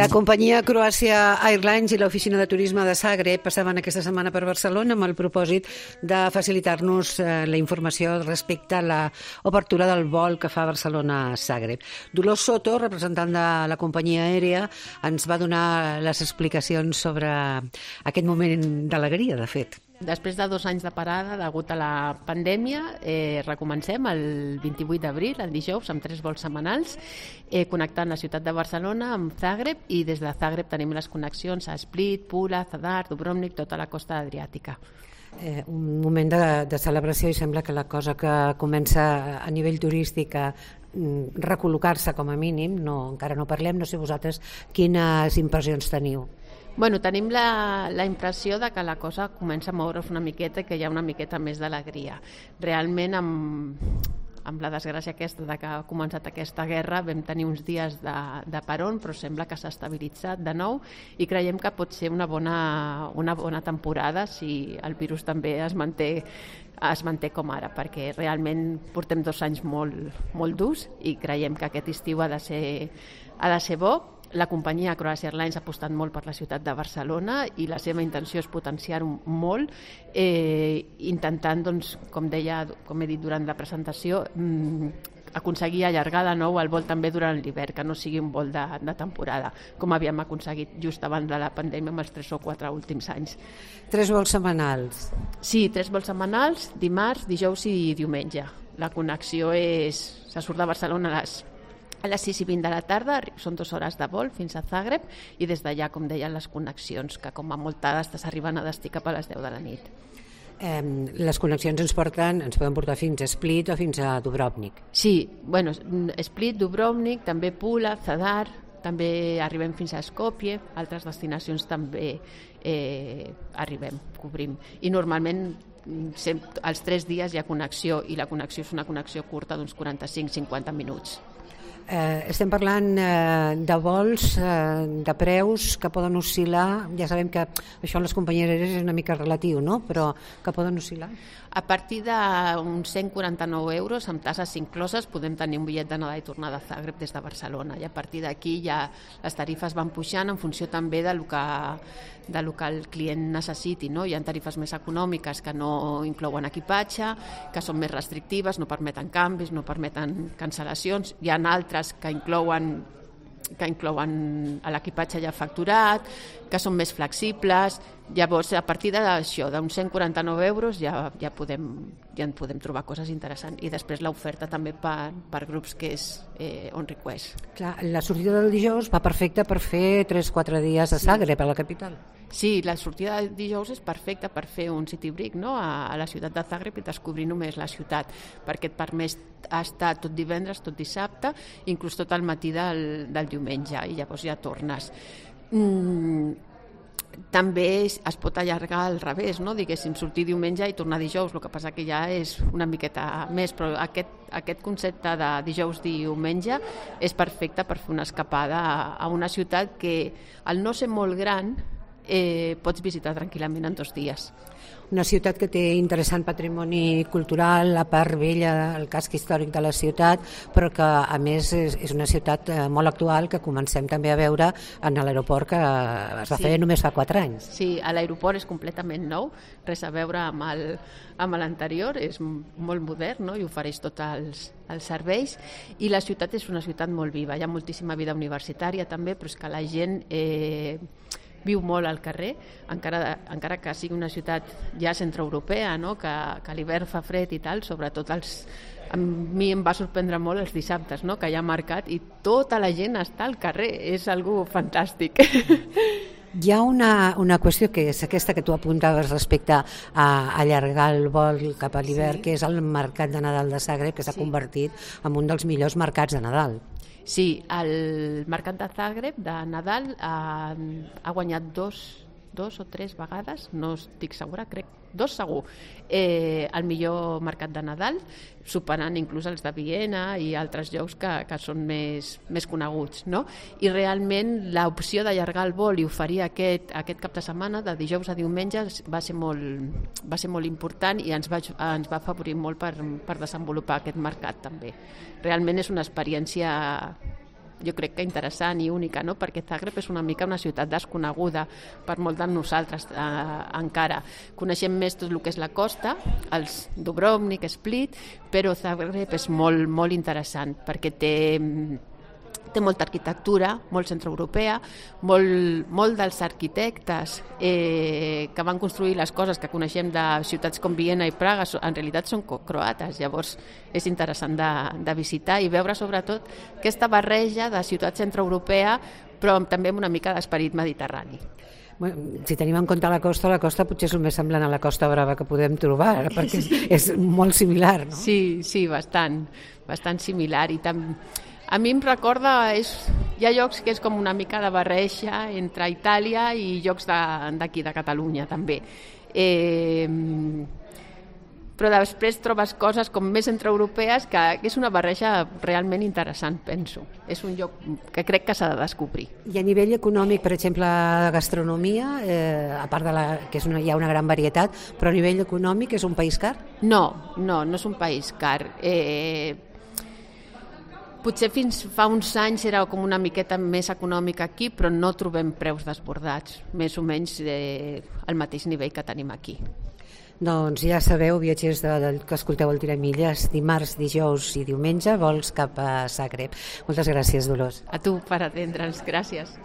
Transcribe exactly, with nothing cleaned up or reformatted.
La companyia Croatia Airlines i l'oficina de turisme de Zagreb passaven aquesta setmana per Barcelona amb el propòsit de facilitar-nos la informació respecte a l'obertura del vol que fa Barcelona a Zagreb. Dolors Soto, representant de la companyia aèria, ens va donar les explicacions sobre aquest moment d'alegria, de fet. Després de dos anys de parada, degut a la pandèmia, eh, recomencem el vint-i-vuit d'abril, el dijous, amb tres vols setmanals, eh, connectant la ciutat de Barcelona amb Zagreb, i des de Zagreb tenim les connexions a Split, Pula, Zadar, Dubrovnik, tota la costa adriàtica. Eh, un moment de, de celebració, i sembla que la cosa que comença a nivell turístic a recol·locar-se com a mínim, no, encara no parlem, no sé vosaltres quines impressions teniu. Bueno, tenim la, la impressió de que la cosa comença a moure's una miqueta i que hi ha una miqueta més d'alegria. Realment, amb, amb la desgràcia aquesta de que ha començat aquesta guerra, vam tenir uns dies de, de peron, però sembla que s'ha estabilitzat de nou i creiem que pot ser una bona, una bona temporada si el virus també es manté, es manté com ara, perquè realment portem dos anys molt, molt durs i creiem que aquest estiu ha de ser, ha de ser bo. La companyia Croatia Airlines ha apostat molt per la ciutat de Barcelona i la seva intenció és potenciar-ho molt, eh, intentant, doncs, com deia, com he dit durant la presentació, mmm, aconseguir allargar de nou el vol també durant l'hivern, que no sigui un vol de, de temporada, com havíem aconseguit just abans de la pandèmia amb els tres o quatre últims anys. Tres vols setmanals. Sí, tres vols setmanals, dimarts, dijous i diumenge. La connexió és... se surt de Barcelona a les a les sis i vint de la tarda, són dues hores de vol fins a Zagreb, i des d'allà, com deien, les connexions, que com a molt tard s'arriben a destí cap a les deu de la nit. Eh, les connexions ens porten, ens poden portar fins a Split o fins a Dubrovnik. Sí, bueno, Split, Dubrovnik, també Pula, Zadar, també arribem fins a Skopje, altres destinacions també eh, arribem, cobrim. I normalment els tres dies hi ha connexió, i la connexió és una connexió curta d'uns quaranta-cinc a cinquanta minuts. Eh, estem parlant eh, de vols, eh, de preus que poden oscil·lar, ja sabem que això en les companyies aèries és una mica relatiu, no? Però que poden oscil·lar. A partir d'uns cent quaranta-nou euros, amb tasses incloses, podem tenir un bitllet d'anada i tornada a Zagreb des de Barcelona, i a partir d'aquí ja les tarifes van pujant en funció també del que, del que el client necessiti, no? Hi ha tarifes més econòmiques que no inclouen equipatge, que són més restrictives, no permeten canvis, no permeten cancel·lacions, hi ha altres que inclouen que inclouen l'equipatge ja facturat, que són més flexibles. Llavors, a partir d'això, d'uns cent quaranta-nou euros, ja, ja, podem, ja en podem trobar coses interessants. I després l'oferta també per, per grups que és eh, on request. Clar, la sortida del dijous va perfecta per fer tres o quatre dies a Zagreb, a la capital. Sí, la sortida del dijous és perfecta per fer un city break, no? a, a la ciutat de Zagreb i descobrir només la ciutat, perquè et permet estar tot divendres, tot dissabte, inclús tot el matí del, del diumenge, i llavors ja tornes. Mm, també es, es pot allargar al revés, no? Diguéssim, sortir diumenge i tornar dijous, el que passa que ja és una miqueta més, però aquest, aquest concepte de dijous-diumenge és perfecte per fer una escapada a, a una ciutat que, al no ser molt gran, Eh, pots visitar tranquil·lament en dos dies. Una ciutat que té interessant patrimoni cultural, la part vella, el casc històric de la ciutat, però que a més és, és una ciutat eh, molt actual que comencem també a veure en l'aeroport que es va sí. fer només fa quatre anys. Sí, l'aeroport és completament nou, res a veure amb el, amb l'anterior, és molt modern, no? I ofereix tots els, els serveis, i la ciutat és una ciutat molt viva, hi ha moltíssima vida universitària també, però és que la gent Eh, viu molt al carrer, encara, encara que sigui una ciutat ja centreeuropea, no? que, que l'hivern fa fred i tal, sobretot els, a mi em va sorprendre molt els dissabtes, no? que hi ha mercat i tota la gent està al carrer, és algo fantàstic. Hi ha una, una qüestió que és aquesta que tu apuntaves respecte a allargar el vol cap a l'hivern, sí. que és el mercat de Nadal de Zagreb, que s'ha sí. convertit en un dels millors mercats de Nadal. Sí, el mercat de Zagreb de Nadal ha, ha guanyat dos, dos o tres vegades, no estic segura, crec, dos segur, eh, el millor mercat de Nadal, superant inclús els de Viena i altres llocs que, que són més, més coneguts, no? I realment l'opció d'allargar el vol i oferir aquest, aquest cap de setmana, de dijous a diumenge, va ser molt, va ser molt important i ens va, ens va afavorir molt per, per desenvolupar aquest mercat també. Realment és una experiència jo crec que interessant i única, no? Perquè Zagreb és una mica una ciutat desconeguda per molts de nosaltres eh, encara. Coneixem més tot el que és la costa, els Dubrovnik, Split, però Zagreb és molt, molt interessant perquè té... té molta arquitectura, molt centroeuropea, molt, molt dels arquitectes eh, que van construir les coses que coneixem de ciutats com Viena i Praga, en realitat són croates, llavors és interessant de, de visitar i veure sobretot aquesta barreja de ciutat centroeuropea però també amb una mica d'esperit mediterrani. Bueno, si tenim en compte la costa, la costa potser és el més semblant a la Costa Brava que podem trobar, perquè és, és molt similar, no? Sí, sí, bastant, bastant similar i també a mi em recorda, és, hi ha llocs que és com una mica de barreja entre Itàlia i llocs d'aquí, de, de Catalunya, també. Eh, però després trobes coses com més centroeuropees que, que és una barreja realment interessant, penso. És un lloc que crec que s'ha de descobrir. I a nivell econòmic, per exemple, de gastronomia, eh, a part de la, que és una, hi ha una gran varietat, però a nivell econòmic és un país car? No, no, no és un país car. Eh, Potser fins fa uns anys era com una miqueta més econòmica aquí, però no trobem preus desbordats, més o menys eh, al mateix nivell que tenim aquí. Doncs ja sabeu, viatgers de, de, que escolteu el Tiramilles, dimarts, dijous i diumenge, vols cap a Zagreb. Moltes gràcies, Dolors. A tu per atendre'ns, gràcies.